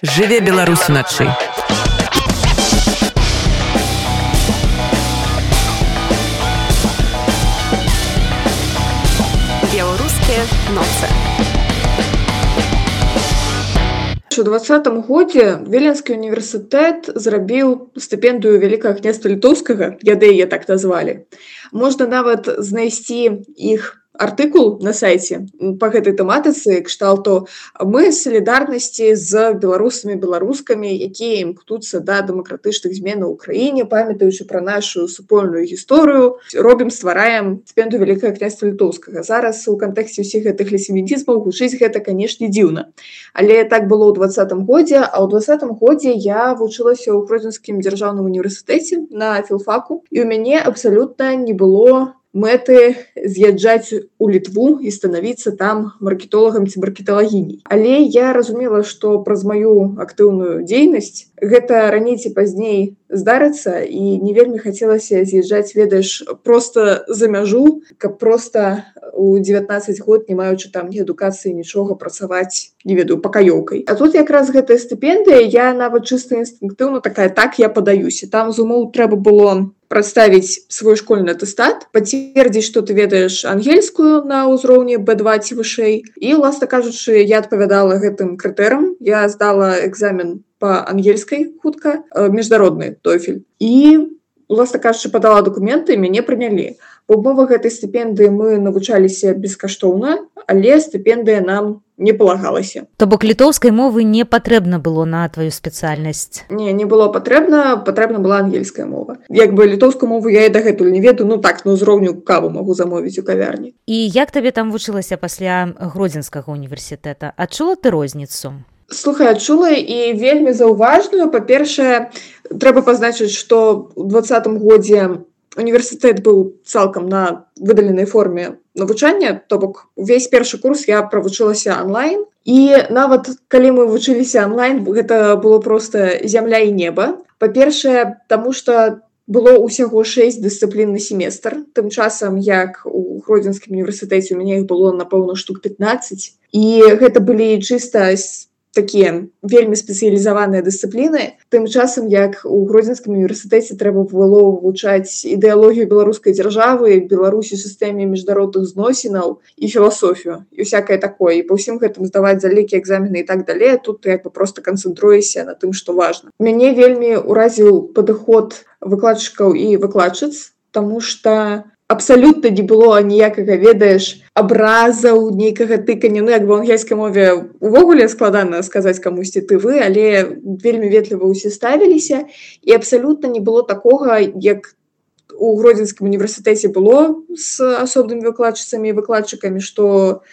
Жыве Беларусь уначы. Беларускія ноцы. У 2020 годзе Віленскі універсітэт зрабіў стыпендыю Вялікага княства Літоўскага, яны яе так назвалі. Можна нават знайсці іх артыкул на сайце па гэтай тэматыцы кшталту «Мы салідарнасці з беларусамі беларускамі, якія імкнуцца да дэмакратычных зменаў у краіне, памятаючы пра нашу супольную гісторыю, ствараем стыпендыю Вялікага княства Літоўскага». Зараз у кантэксце ўсіх гэтых лесімедізмаў гучыць гэта, канешне, дзіўна. Але так было ў 2020 годзе, а ў 2020 годзе я вучылася ў Гродзенскім дзяржаўным універсітэце на філфаку, і ў мяне абсалютна не было мэты з'язджаць у Літву і станавіцца там маркетолагам ці маркеталагіняй. Але я разумела, што праз маю актыўную дзейнасць гэта раней ці пазней здарыцца, і не вельмі хацелася з'язджаць, ведаеш, проста за мяжу, каб проста у 19 год, не маючы там ні адукацыі, нічога, працаваць, не ведаю, пакаёўкай. А тут якраз гэтая стыпендыя, я нават чыста інстынктыўна такая, так, я падаюся. Там з умоў трэба было прадставіць свой школьны атэстат, пацвердзіць, што ты ведаеш ангельскую на ўзроўні B2 ці вышэй. І, уласна кажучы, я адпавядала гэтым крытэрам. Я здала экзамен па ангельскай хутка, міжнародны TOEFL. І, уласна кажучы, падала дакументы, мяне прынялі. Па умовах гэтай стыпендыі мы навучаліся бескаштоўна, але стыпендыя нам не палагалася. То бок літоўскай мовы не патрэбна было на тваю спецыяльнасць? Не было патрэбна была ангельская мова. Як бы літоўскую мову я і дагэтуль не ведаю, на ўзроўню каву магу замовіць у кавярні. І як табе там вучылася пасля Гродзенскага універсітэта? Адчула ты розніцу? Слухай, адчула і вельмі заўважную. Па-першае, трэба пазначыць, што ў 2020 годзе універсітэт быў цалкам на выдаленай форме навучання, то бок увесь першы курс я правучылася онлайн. І нават калі мы вучыліся онлайн, гэта было проста зямля і неба. Па-першае, таму што было ўсяго 6 дысцыплін на семестр. Тым часам, як у Гродзенскім універсітэце, у мяне іх было, напэўна, штук 15. І гэта былі чыста такія вельмі спецыялізаваныя дысцыпліны. Тым часам, як у Гродзенскім універсітэце трэба было вывучаць ідэалогію беларускай дзяржавы, Беларусі, сістэме міжнародных зносінаў і філасофію, і ўсякае такое. І па ўсім гэтым здаваць залікі, экзамены і так далей. Тут ты проста канцэнтруешся на тым, што важна. Мяне вельмі ўразіў падыход выкладчыкаў і выкладчыц, таму што абсалютна не было ніякага, ведаеш, абразаў, нейкага тыкання. Як бы ў ангельскай мове увогуле складана сказаць камусьці ты вы, але вельмі ветліва ўсе ставіліся, і абсалютна не было такога, як у Гродзенскім універсітэце было з асобнымі выкладчыцамі і выкладчыкамі, што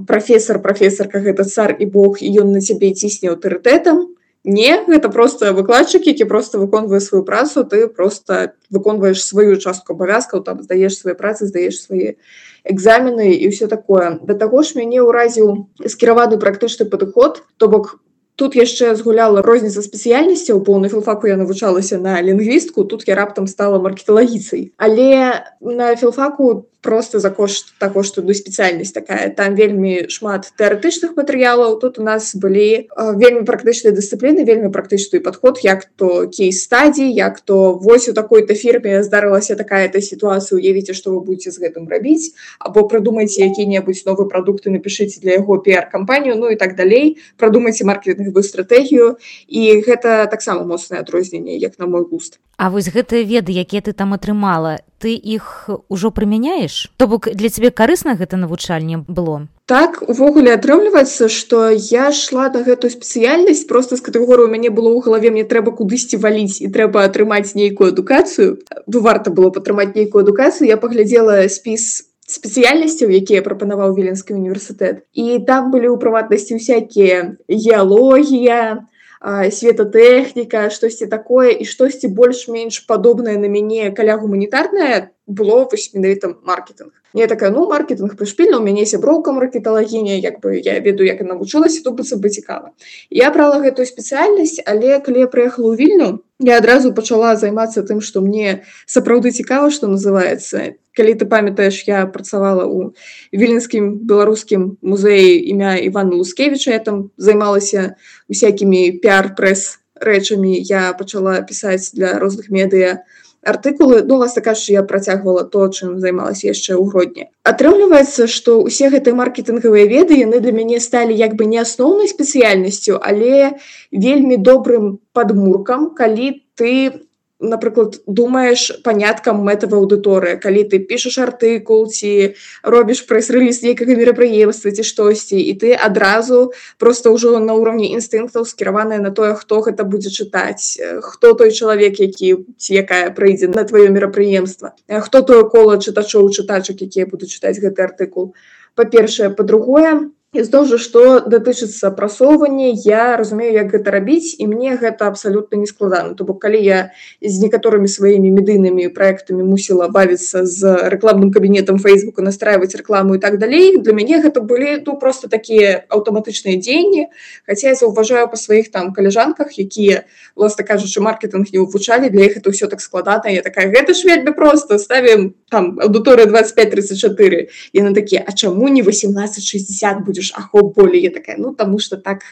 прафесарка гэта цар і бог, і ён на цябе цісне аўтарытэтам. Не, гэта проста выкладчык, які проста выконвае сваю працу, ты проста выконваеш сваю частку абавязкаў, там здаеш свае працы, здаеш свае экзамены і ўсё такое. Да таго ж мяне ўразіў скіраваны практычны падыход, то бок тут яшчэ згуляла розніца спецыяльнасцяў. У поўны філфаку я навучалася на лінгвістку, тут я раптам стала маркеталагіцай. Але на філфаку проста за кошт таго, што спецыяльнасць такая. Там вельмі шмат тэарэтычных матэрыялаў, тут у нас былі вельмі практычныя дысцыпліны, вельмі практычны падход, як то кейс-стадій, як то вось у такой-то фірме здарылася такая-то сітуацыя, уявіце, што вы будзеце з гэтым рабіць, або прыдумайце які-небудзь новы прадукт і напішыце для яго піар-кампанію, і так далей, прадумайце маркетынгавую стратэгію, і гэта таксама моцнае адрозненне, як на мой густ. А вось гэтыя веды, якія ты там атрымала, ты іх ужо прымяняеш? То бок для цябе карысна гэта навучанне было? Так, увогуле атрымліваецца, што я шла на гэтую спецыяльнасць проста з катэгорыі, у мяне было ў галаве, мне трэба кудысьці валіць і трэба атрымаць нейкую адукацыю. Варта было атрымаць нейкую адукацыю. Я паглядзела спіс спецыяльнасцяў, якія прапанаваў Віленскі універсітэт. І там былі ў прыватнасці ўсякія геалогія, светатэхніка, штосьці такое, і штосьці больш-менш падобнае на мяне каля гуманітарнае, было вось менавіта маркетинг. Я такая, маркетинг прышпільна, у мяне сяброўка маркеталагіня, я ведаю, як я навучылася, то быццам бы цікава. Я брала гэтую спецыяльнасць, але калі я прыехала ў Вільню, я адразу пачала займацца тым, што мне сапраўды цікава, што называецца. Калі ты памятаеш, я працавала ў Віленскім беларускім музеі імя Івана Лускевіча, я там займалася усякімі піар-прэс рэчамі, я пачала пісаць для розных медыа артыкулы, власна кажучы, я працягвала то, чым займалася яшчэ ў Гродні. Атрымліваецца, што ўсе гэтыя маркетынгавыя веды, яны для мяне сталі як бы не асноўнай спецыяльнасцю, але вельмі добрым падмуркам, калі ты, напрыклад, думаеш паняткам мэтавай аўдыторыі, калі ты пішаш артыкул ці робіш прэс-рэліз нейкага мерапрыемства ці штосьці, і ты адразу проста ўжо на ўроўні інстынктаў скіраваная на тое, хто гэта будзе чытаць, хто той чалавек, які ці якая прыйдзе на тваё мерапрыемства, хто тое кола чытачоў, чытачак, якія будуць чытаць гэты артыкул. Па-першае, па-другое, і зноў жа, што датычыцца прасоўвання, я разумею, як гэта рабіць, і мне гэта абсалютна не складана. То бок, калі я з некаторымі сваімі медыйнымі праектамі мусіла бавіцца з рэкламным кабінетам Фейсбука, настрайваць рэкламу і так далей, для мяне гэта былі проста такія аўтаматычныя дзеянні, хаця я заўважаю па сваіх там каляжанках, якія, власна кажучы, маркетинг не вывучалі, для іх это ўсё так складана. Я такая, гэта ж вельмі проста, ставім там аўдыторыя 25-34. Яны такія, а чаму не 18-60 будзе? Болей, я такая, таму што так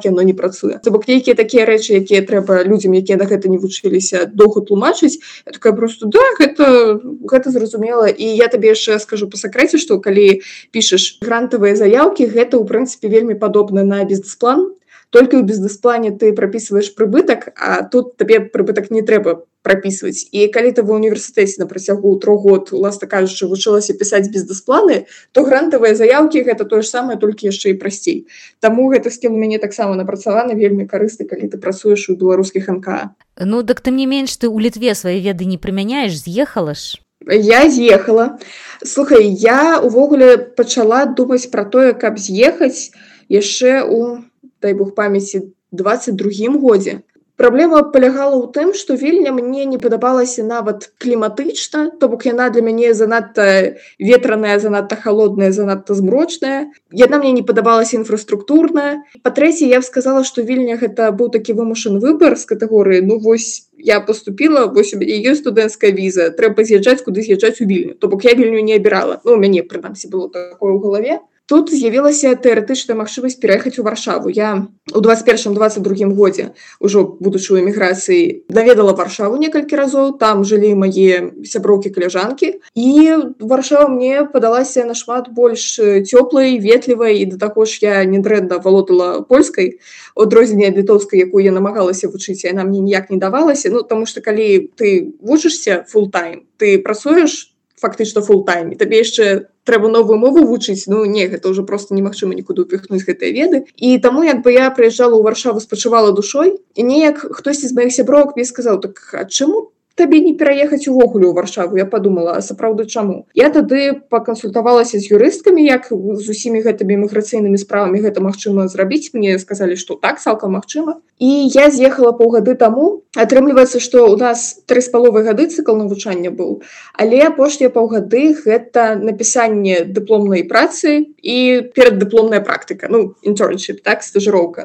яно не працуе. То бок нейкія такія рэчы, якія трэба людзям, якія на гэта не вучыліся, доўга тлумачыць, я такая просто, гэта зразумела. І я табе яшчэ скажу па сакрэце, што калі пішаш грантавыя заяўкі, гэта ў прынцыпе вельмі падобна на бізнес-план, толькі ў бізнес-плане ты прапісваеш прыбытак, а тут табе прыбытак не трэба прапісваць. І калі ты ва ўніверсітэце на працягу 3 год, уласна кажучы, вучылася пісаць бізнес-планы, то грантавыя заяўкі гэта тое ж самае, толькі яшчэ і прасцей. Таму гэты скіл у мяне таксама напрацаваны, вельмі карысны, калі ты працуеш у беларускіх НКА. Так тым не менш, ты ў Літве свае веды не прымяняеш, з'ехала ж? Я з'ехала. Слухай, я увогуле пачала думаць пра тое, каб з'ехаць яшчэ у, дай бог памяці, 22-м годзе. Праблема палягала ў тым, што Вільня мне не падабалася нават кліматычна, то бок яна для мяне занадта ветраная, занадта халодная, занадта змрочная. Яна мне не падабалася інфраструктурная. Па-трэцяе, я б сказала, што Вільня гэта быў такі вымушаны выбар з катэгорыі, вось я паступіла, вось у мяне ёсць студэнцкая віза, трэба з'язджаць, куды з'язджаць у Вільню. То бок я Вільню не абірала. У мяне, прынамсі, было такое ў галаве. Тут з'явілася тэарэтычная магчымасць пераехаць у Варшаву. Я ў 21-22 годзе, ужо будучы ў эміграцыі, наведала Варшаву некалькі разоў, там жылі мае сяброўкі-каляжанкі, і Варшава мне падалася нашмат больш цёплай, ветлівай, і да таго ж я нядрэнна валодала польскай, у адрозненне ад літоўскай, якую я намагалася вучыць, яна мне ніяк не давалася, таму што калі ты вучышся фултайм, ты працуеш фактычна фултайм, і табе яшчэ трэба новую мову вучыць, гэта ўжо проста немагчыма нікуды ўпіхнуць гэтыя веды. І таму як бы я прыязджала ў Варшаву, спачувала душой, і неяк хтосьці з маіх сябровак мне сказаў, так а чаму табе не пераехаць увогуле ў Варшаву? Я падумала, а сапраўды чаму? Я тады пакансультавалася з юрысткамі, як з усімі гэтымі міграцыйнымі справамі гэта магчыма зрабіць. Мне сказалі, што так, цалкам магчыма. І я з'ехала паўгады таму. Атрымліваецца, што ў нас 3,5 гады цыкл навучання быў, але апошнія паўгады гэта напісанне дыпломнай працы і пераддыпломная практыка. Internship, так, стажыроўка.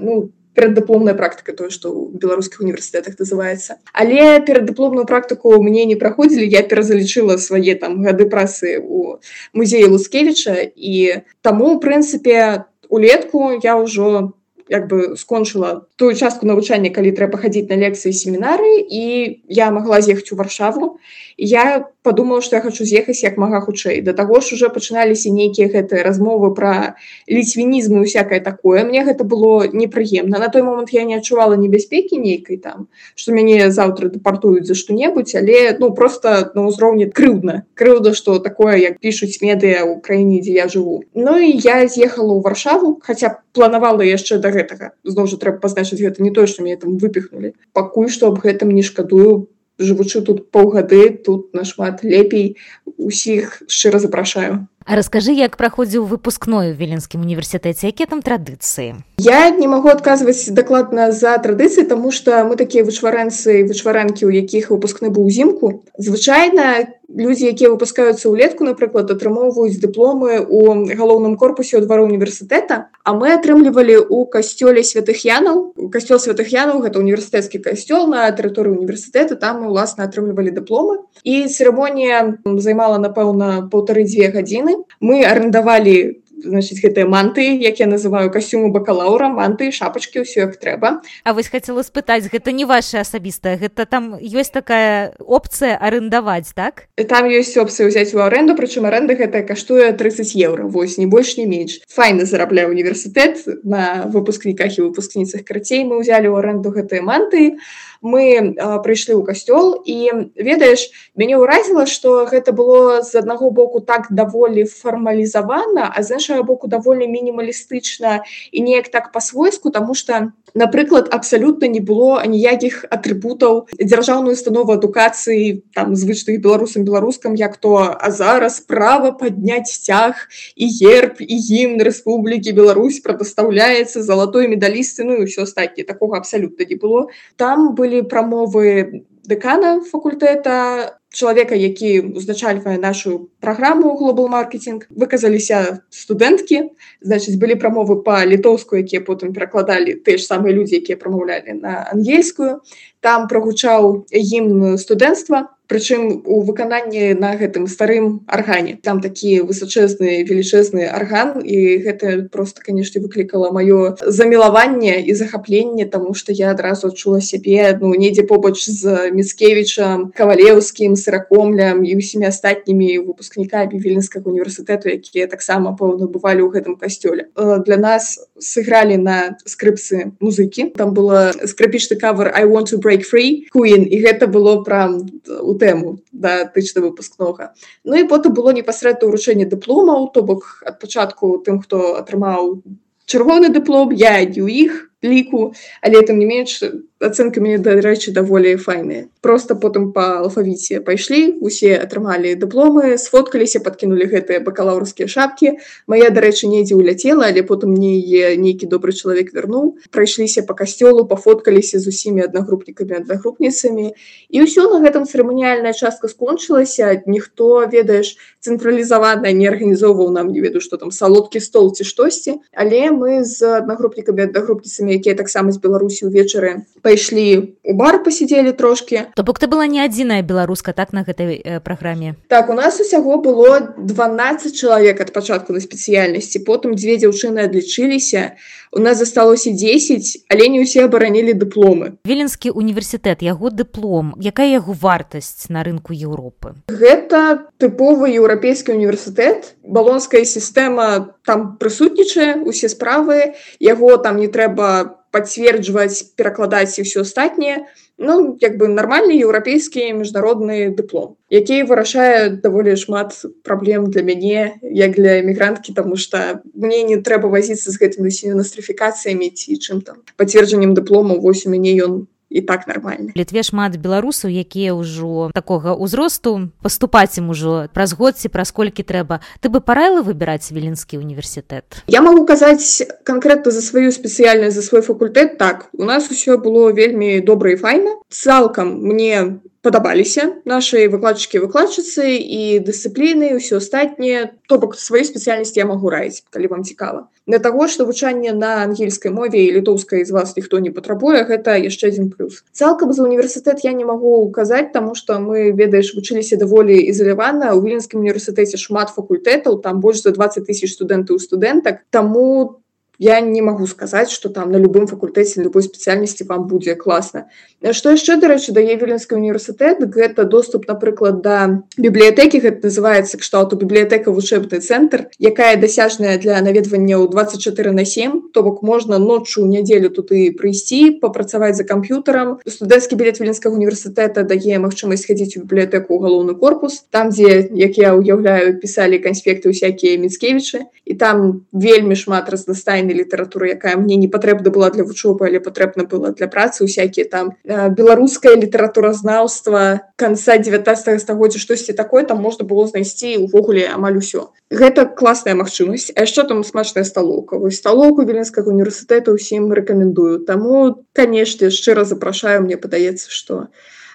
Пераддыпломная практыка, тое, што ў беларускіх універсітэтах называецца. Але пераддыпломную практыку мне не праходзілі, я перазалічыла свае там гады працы ў музеі Лускевіча, і таму, ў прынцыпе, улетку я ўжо як бы скончыла тую частку навучання, калі трэба хадзіць на лекцыі і семінары, і я магла з'ехаць у Варшаву. І я падумала, што я хачу з'ехаць як мага хутчэй. Да таго ж уже пачыналіся нейкія гэтыя размовы пра ліцвінізм і ўсякае такое. Мне гэта было непрыемна. На той момант я не адчувала небяспекі нейкай там, што мяне заўтра дэпартуюць за што-небудзь, але проста на ўзроўні крыўдна. Крыўда, што такое, як пішуць медыа ў краіне, дзе я жыву. І я з'ехала ў Варшаву, хаця планавала яшчэ да гэтага. Зноў жа трэба пазначыць, гэта не тое, што мяне там выпіхнулі. Пакуль што аб гэтым не шкадую. Жывучы тут паўгады, тут нашмат лепей, усіх шчыра запрашаю. А раскажы, як праходзіў выпускной у Віленскім універсітэце, якія там традыцыі? Я не магу адказваць дакладна за традыцыі, таму што мы такія вычварэнцы і вычварэнкі, у якіх выпускны быў узімку. Звычайна людзі, якія выпускаюцца ўлетку, напрыклад, атрымоўваюць дыпломы ў галоўным корпусе ў двары універсітэта, а мы атрымлівалі ў касцёле святых Янаў. Касцёл святых Янаў — гэта універсітэцкі касцёл на тэрыторыі універсітэта, там мы, уласна, атрымлівалі дыпломы. І цырымонія займала, напэўна, 1,5-2 гадзіны. Мы арендавалі, значыць, гэтыя манты, як я называю, касцюмы бакалаўра, манты, шапачкі, ўсё як трэба. А вось хацела спытаць, гэта не ваша асабістая, гэта там ёсць такая опцыя арендаваць, так? Там ёсць опцыя ўзяць у аренду, прычым аренда гэтая каштуе 30 евро, вось, не больш, не менш. Файна зарабляе універсітэт на выпускніках і выпускніцах. Карацей, мы ўзялі ў аренду гэтыя манты, мы прыйшлі ў касцёл, і, ведаеш, мяне ўразіла, што гэта было з аднаго боку так даволі фармалізавана, а з іншага боку даволі мінімалістычна і неяк так па-свойску, таму што, напрыклад, абсалютна не было аніякіх атрыбутаў дзяржаўнай установы адукацыі, там, звычных беларусам-беларускам, як то, а зараз права падняць сцяг і герб, і гімн Рэспублікі Беларусь прадастаўляецца залатой медалісты, ну і ўсё астатняе. Такога абсалютна не было. Там былі прамовы дэкана факультэта, чалавека, які ўзначальвае нашу праграму Global Marketing. Выказаліся студэнткі, значыць, былі прамовы па-літоўску, якія потым перакладалі тыя ж самыя людзі, якія прамаўлялі на ангельскую. Там прагучаў гімн студэнцтва, прычым у выкананні на гэтым старым аргане. Там такі высачэзны, велічэзны арган, і гэта проста, канешне, выклікала маё замілаванне і захапленне, таму што я адразу адчула сябе, недзе побач з Міцкевічам, Кавалеўскім, Сыракомлем і ўсімі астатнімі выпускнікамі Віленскага універсітэту, якія таксама, пэўна, бывалі ў гэтым касцёле. Для нас сыгралі на скрыпцы музыкі. Там была скрыпічны кавер «I want to break free» Queen, і гэта было прям у тэму датычна выпускнога. Ну і потым было непасрэдна ўручэнне дыпломаў, то бок ад пачатку тым, хто атрымаў чырвоны дыплом, я не ў іх ліку, але тым не менш ацэнкі мяне, дарэчы, даволі файныя. Проста потым па алфавіце пайшлі, усе атрымалі дыпломы, сфоткаліся, падкінулі гэтыя бакалаўрскія шапкі. Мая, дарэчы, недзе ўляцела, але потым мне нейкі добры чалавек вярнуў. Прайшліся па касцёлу, пафоткаліся з усімі аднагрупнікамі, аднагрупніцамі. І ўсё, на гэтым цырыманіяльная частка скончылася. Ніхто, ведаеш, цэнтралізавана не арганізоўваў нам, не ведаю, што там, салодкі стол ці штосьці. Але мы з аднагрупнікамі, аднагрупніцамі, якія таксама з Беларусі ўвечары пайшлі ў бар, пасядзелі трошкі. То бок ты была не адзіная беларуска, так, на гэтай праграме? Так, у нас усяго было 12 чалавек ад пачатку на спецыяльнасці, потым 2 дзяўчыны адлічыліся, у нас засталося 10, але не ўсе абаранілі дыпломы. Віленскі універсітэт, яго дыплом, якая яго вартасць на рынку Еўропы? Гэта тыповы еўрапейскі універсітэт, балонская сістэма там прысутнічае, усе справы, яго там не трэба пацверджваць, перакладаць і ўсё астатняе. Нармальны еўрапейскі міжнародны дыплом, які вырашае даволі шмат праблем для мяне, як для эмігранткі, таму што мне не трэба вазіцца з гэтымі нострыфікацыямі ці чым там. Пацверджаннем дыплому, вось у мяне ён і так нармальны. Літве шмат беларусаў, якія ўжо такога ўзросту, паступаць ім ужо праз год ці праз колькі трэба. Ты бы параіла выбіраць Віленскі універсітэт? Я магу казаць канкрэтна за сваю спецыяльнасць, за свой факультэт. Так, у нас усё было вельмі добра і файна. Цалкам мне падабаліся нашы выкладчыкі і выкладчыцы і дысцыпліны, і ўсё астатняе. То бок, сваю спецыяльнасць я магу раіць, калі вам цікава. Для таго, што вывучанне на ангельскай мове і літоўскай з вас ніхто не патрабуе, гэта яшчэ адзін плюс. Цалкам за універсітэт я не магу казаць, таму што мы, ведаеш, вучыліся даволі ізалявана. У Віленскім універсітэце шмат факультэтаў, там больш за 20 000 студэнтаў і студэнтак, таму я не магу сказаць, што там на любым факультэце, на любой спецыяльнасці вам будзе класна. Што яшчэ, дарэчы, дае Віленскі універсітэт, гэта доступ, напрыклад, да бібліятэкі, гэта называецца кшталту бібліятэка вучэбны цэнтр, якая дасяжная для наведвання ў 24/7, то бок можна ноччу ў нядзелю туды прыйсці, папрацаваць за камп'ютарам. Студэнцкі білет Віленскага універсітэта дае магчымасць хадзіць у бібліятэку ў галоўны корпус, там, дзе, як я ўяўляю, пісалі канспекты ўсякія Міцкевічы, і там вельмі шмат разнастайных звычайнай літаратуры, якая мне не патрэбна была для вучобы, але патрэбна была для працы, усякія там беларускае літаратуразнаўства канца 19 стагоддзя, штосьці такое там можна было знайсці увогуле амаль усё. Гэта класная магчымасць. А яшчэ там смачная сталоўка. Вось сталоўку Віленскага універсітэта ўсім рэкамендую. Таму, канешне, шчыра запрашаю, мне падаецца, што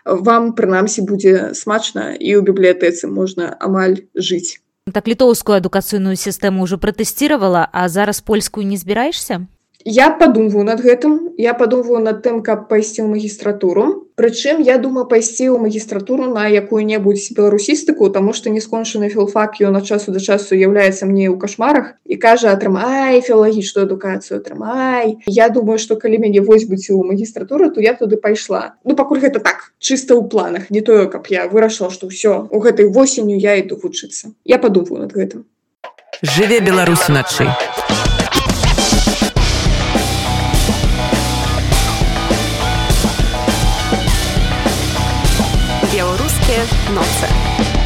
вам, прынамсі, будзе смачна і ў бібліятэцы можна амаль жыць. Так літоўскую адукацыйную сістэму ўжо пратэсціравала, а зараз польскую не збіраешся? Я падумваю над гэтым. Я падумваю над тым, каб пайсці ў магістратуру. Прычым я думаю пайсці ў магістратуру на якую-небудзь беларусістыку, таму што нескончаны філфак ён ад часу да часу з'яўляецца мне ў кашмарах і кажа: атрымай філалагічную адукацыю, атрымай. Я думаю, што калі мяне возьмуць у магістратуру, то я туды пайшла. Ну, пакуль гэта так, чыста ў планах, не тое, каб я вырашыла, што ўсё, у гэтай восенню я іду вучыцца. Я падумваю над гэтым. Жыве Беларусь уначы. Белорусские ноцы.